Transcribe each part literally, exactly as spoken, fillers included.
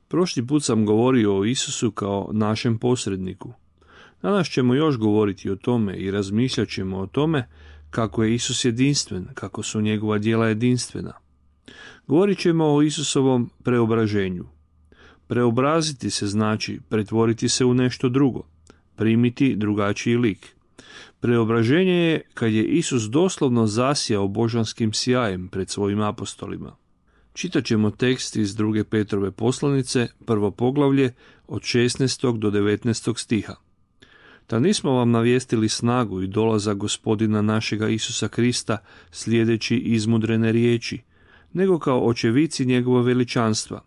Prošli put sam govorio o Isusu kao našem posredniku. Danas ćemo još govoriti o tome i razmišljat ćemo o tome kako je Isus jedinstven, kako su njegova djela jedinstvena. Govorit ćemo o Isusovom preobraženju. Preobraziti se znači pretvoriti se u nešto drugo, primiti drugačiji lik. Preobraženje je kad je Isus doslovno zasjao božanskim sjajem pred svojim apostolima. Čitat ćemo tekst iz druge Petrove poslanice, prvo poglavlje, od šesnaestog do devetnaestog stiha. Da nismo vam navijestili snagu i dolazak Gospodina našega Isusa Krista slijedeći izmudrene riječi, nego kao očevici njegova veličanstva.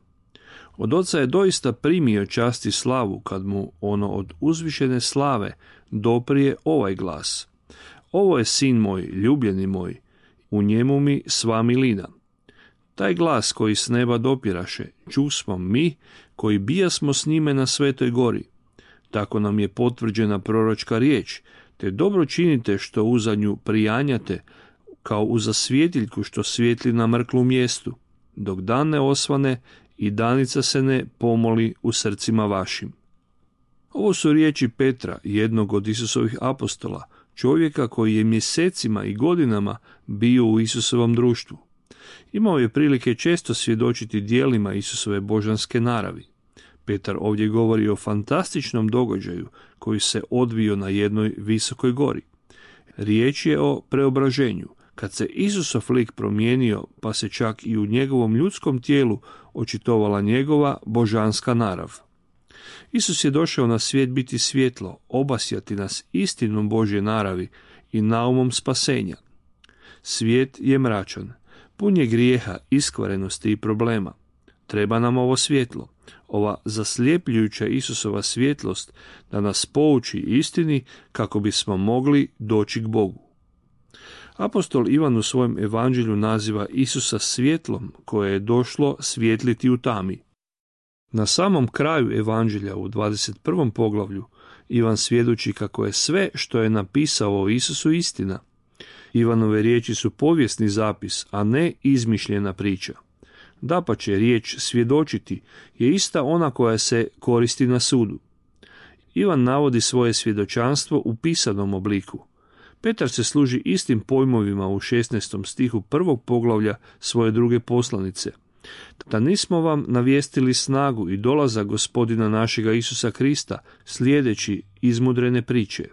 Od Oca je doista primio čast i slavu kad mu ono od uzvišene slave doprije ovaj glas. Ovo je sin moj, ljubljeni moj, u njemu mi sva milina. Taj glas koji s neba dopiraše, čusmo mi koji bijasmo s njime na Svetoj gori. Tako nam je potvrđena proročka riječ, te dobro činite što uza nju prijanjate, kao uza svjetiljku što svijetli na mrklu mjestu, dok dan ne osvane i danica se ne pomoli u srcima vašim. Ovo su riječi Petra, jednog od Isusovih apostola, čovjeka koji je mjesecima i godinama bio u Isusovom društvu. Imao je prilike često svjedočiti djelima Isusove božanske naravi. Petar ovdje govori o fantastičnom događaju koji se odvio na jednoj visokoj gori. Riječ je o preobraženju, kad se Isusov lik promijenio, pa se čak i u njegovom ljudskom tijelu očitovala njegova božanska narav. Isus je došao na svijet biti svjetlo, obasjati nas istinom Božje naravi i naumom spasenja. Svijet je mračan, pun je grijeha, iskvarenosti i problema. Treba nam ovo svjetlo, ova zasljepljujuća Isusova svjetlost da nas pouči istini kako bismo mogli doći k Bogu. Apostol Ivan u svojem evanđelju naziva Isusa svjetlom koje je došlo svjetliti u tami. Na samom kraju evanđelja u dvadeset prvom poglavlju Ivan svjedoči kako je sve što je napisao o Isusu istina. Ivanove riječi su povijesni zapis, a ne izmišljena priča. Dapače, riječ svjedočiti je ista ona koja se koristi na sudu. Ivan navodi svoje svjedočanstvo u pisanom obliku. Petar se služi istim pojmovima u šesnaestom stihu prvog poglavlja svoje druge poslanice. Da nismo vam navijestili snagu i dolazak Gospodina našega Isusa Krista slijedeći izmudrene priče.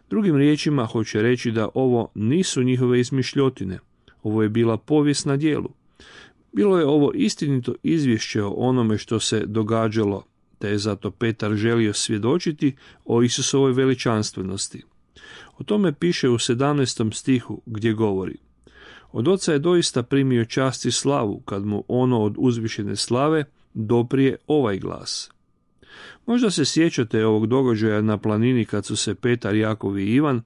Drugim riječima hoće reći da ovo nisu njihove izmišljotine. Ovo je bila povijest na djelu. Bilo je ovo istinito izvješće o onome što se događalo, te je zato Petar želio svjedočiti o Isusovoj veličanstvenosti. O tome piše u sedamnaestom stihu gdje govori: Od Oca je doista primio čast i slavu kad mu ono od uzvišene slave doprije ovaj glas. Možda se sjećate ovog događaja na planini kad su se Petar, Jakov i Ivan,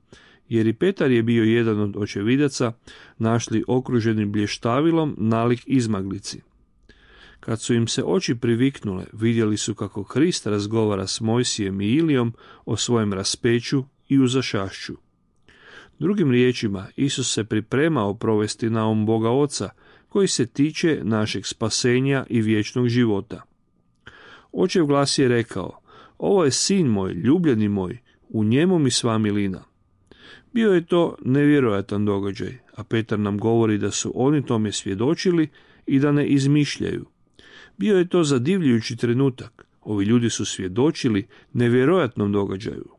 jer i Petar je bio jedan od očevidaca, našli okruženi blještavilom nalik izmaglici. Kad su im se oči priviknule, vidjeli su kako Krist razgovara s Mojsijem i Ilijom o svojem raspeću i uzašašću. Drugim riječima, Isus se pripremao provesti naum Boga Oca, koji se tiče našeg spasenja i vječnog života. Očev glas je rekao: Ovo je sin moj, ljubljeni moj, u njemu mi sva milina. Bio je to nevjerojatan događaj, a Petar nam govori da su oni tome svjedočili i da ne izmišljaju. Bio je to zadivljujući trenutak. Ovi ljudi su svjedočili nevjerojatnom događaju.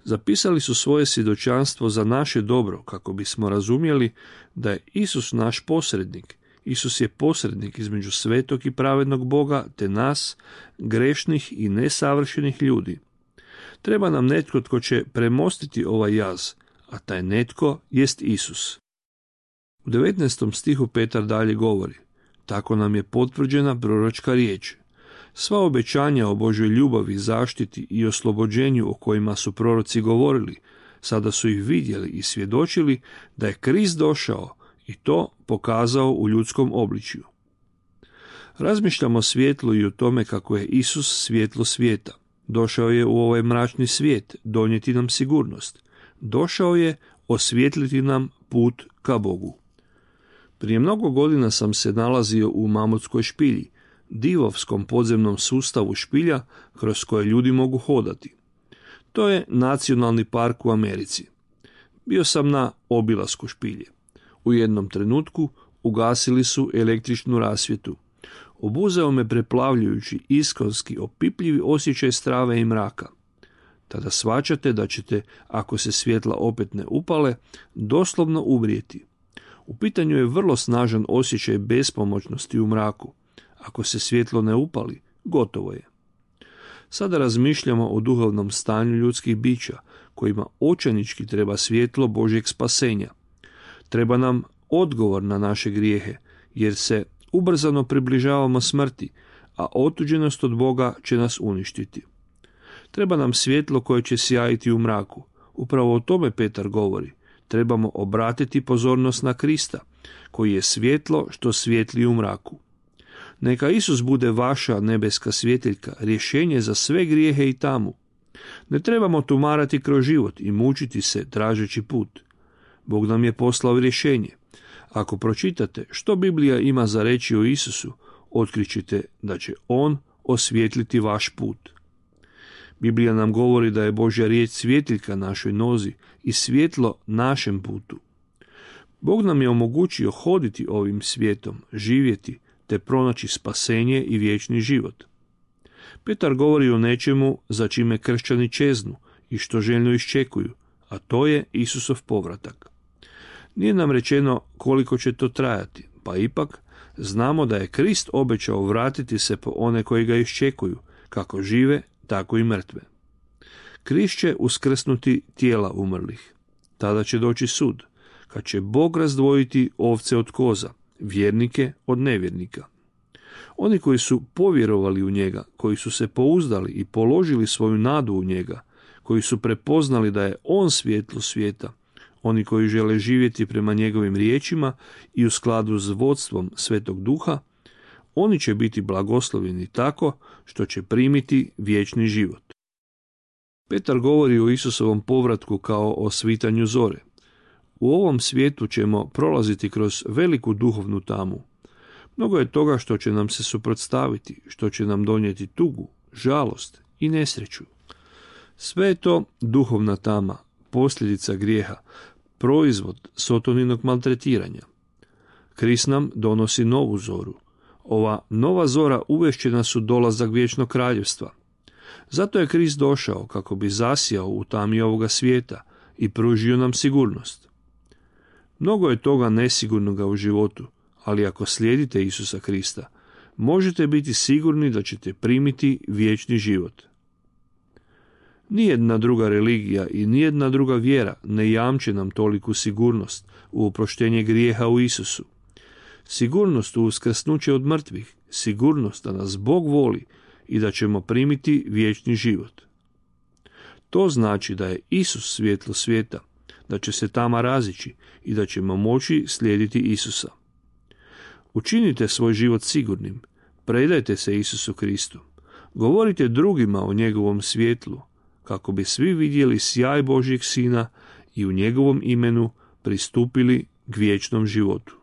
Zapisali su svoje svjedočanstvo za naše dobro, kako bismo razumjeli da je Isus naš posrednik. Isus je posrednik između svetog i pravednog Boga te nas, grešnih i nesavršenih ljudi. Treba nam netko tko će premostiti ovaj jaz, a taj netko jest Isus. U devetnaestom stihu Petar dalje govori: Tako nam je potvrđena proročka riječ. Sva obećanja o Božoj ljubavi, zaštiti i oslobođenju o kojima su proroci govorili, sada su ih vidjeli i svjedočili da je Krist došao i to pokazao u ljudskom obličju. Razmišljamo o svjetlu i o tome kako je Isus svjetlo svijeta. Došao je u ovaj mračni svijet donijeti nam sigurnost. Došao je osvijetliti nam put ka Bogu. Prije mnogo godina sam se nalazio u Mamutskoj špilji. divovskom podzemnom sustavu špilja kroz koje ljudi mogu hodati. To je nacionalni park u Americi. Bio sam na obilasku špilje. U jednom trenutku ugasili su električnu rasvjetu. Obuzeo me preplavljujući iskonski opipljivi osjećaj strave i mraka. Tada shvaćate da ćete, ako se svjetla opet ne upale, doslovno umrijeti. U pitanju je vrlo snažan osjećaj bespomoćnosti u mraku. Ako se svjetlo ne upali, gotovo je. Sada razmišljamo o duhovnom stanju ljudskih bića, kojima očajnički treba svjetlo Božjeg spasenja. Treba nam odgovor na naše grijehe, jer se ubrzano približavamo smrti, a otuđenost od Boga će nas uništiti. Treba nam svjetlo koje će sjajiti u mraku. Upravo o tome Petar govori. Trebamo obratiti pozornost na Krista, koji je svjetlo što svijetli u mraku. Neka Isus bude vaša nebeska svjetiljka, rješenje za sve grijehe i tamu. Ne trebamo tumarati kroz život i mučiti se tražeći put. Bog nam je poslao rješenje. Ako pročitate što Biblija ima za reći o Isusu, otkrićete da će On osvijetliti vaš put. Biblija nam govori da je Božja riječ svjetiljka našoj nozi i svjetlo našem putu. Bog nam je omogućio hoditi ovim svijetom, živjeti, te pronaći spasenje i vječni život. Petar govori o nečemu za čime kršćani čeznu i što željno iščekuju, a to je Isusov povratak. Nije nam rečeno koliko će to trajati, pa ipak znamo da je Krist obećao vratiti se po one koji ga iščekuju, kako žive, tako i mrtve. Krist će uskrsnuti tijela umrlih. Tada će doći sud, kad će Bog razdvojiti ovce od koza, vjernike od nevjernika. Oni koji su povjerovali u njega, koji su se pouzdali i položili svoju nadu u njega, koji su prepoznali da je on svjetlo svijeta, oni koji žele živjeti prema njegovim riječima i u skladu s vodstvom Svetog Duha, oni će biti blagoslovljeni tako što će primiti vječni život. Petar govori o Isusovom povratku kao o svitanju zore. U ovom svijetu ćemo prolaziti kroz veliku duhovnu tamu. Mnogo je toga što će nam se suprotstaviti, što će nam donijeti tugu, žalost i nesreću. Sve je to duhovna tama, posljedica grijeha, proizvod sotoninog maltretiranja. Krist nam donosi novu zoru. Ova nova zora uvešće nas u dolazak vječnog kraljevstva. Zato je Krist došao kako bi zasijao u tami ovoga svijeta i pružio nam sigurnost. Mnogo je toga nesigurnoga u životu, ali ako slijedite Isusa Krista, možete biti sigurni da ćete primiti vječni život. Nijedna druga religija i nijedna druga vjera ne jamče nam toliku sigurnost u oproštenje grijeha u Isusu. Sigurnost u uskrsnuće od mrtvih, sigurnost da nas Bog voli i da ćemo primiti vječni život. To znači da je Isus svjetlo svijeta, da će se tama razići i da ćemo moći slijediti Isusa. Učinite svoj život sigurnim, predajte se Isusu Kristu, govorite drugima o njegovom svjetlu, kako bi svi vidjeli sjaj Božjeg Sina i u njegovom imenu pristupili k vječnom životu.